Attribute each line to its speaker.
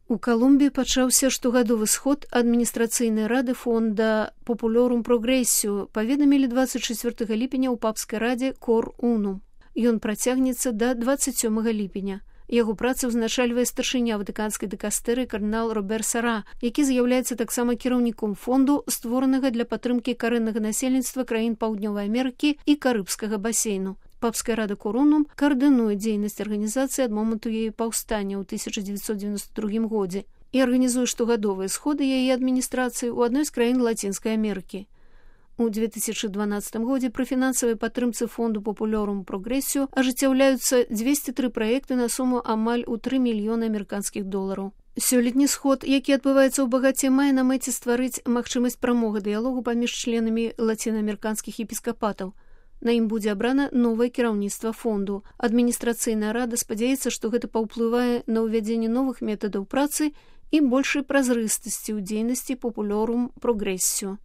Speaker 1: У Калумбіі пачаўся штогадовы сход адміністрацыйнай рады фонда Populorum Progressio, паведамілі 24 ліпеня ў папскай радзе Cor Unum. Ён працягнецца да 27 ліпеня. Яго працы ўзначальвае старшыня ватыканскай дыкастэрыі кардынал Робер Сара, які з'яўляецца таксама кіраўніком фонду, створанага для падтрымкі карэннага насельніцтва краін Паўднёвай Амерыкі і Карыбскага басейну. Папская рада Cor Unum каардынуе дзейнасць арганізацыі ад моманту яе паўстання ў 1992 годзе і арганізуе штогадовыя сходы яе адміністрацыі ў адной з краін Лацінскай Амерыкі. У 2012 годзе пры фінансавай падтрымцы фонду Populorum Progressio ажыццяўляюцца 203 праекты на суму амаль у 3 мільёны амерыканскіх долараў. Сёлетні сход, які адбываецца ў Багаце, мае на мэце стварыць магчымасць прамога дыялогу паміж членамі лацінаамерыканскіх епіскапатаў. На ім будзе абрана новае кіраўніцтва фонду. Адміністрацыйная рада спадзяецца, што гэта паўплывае на ўвядзенне новых метадаў працы і большай празрыстасці ў дзейнасці Populorum Progressio.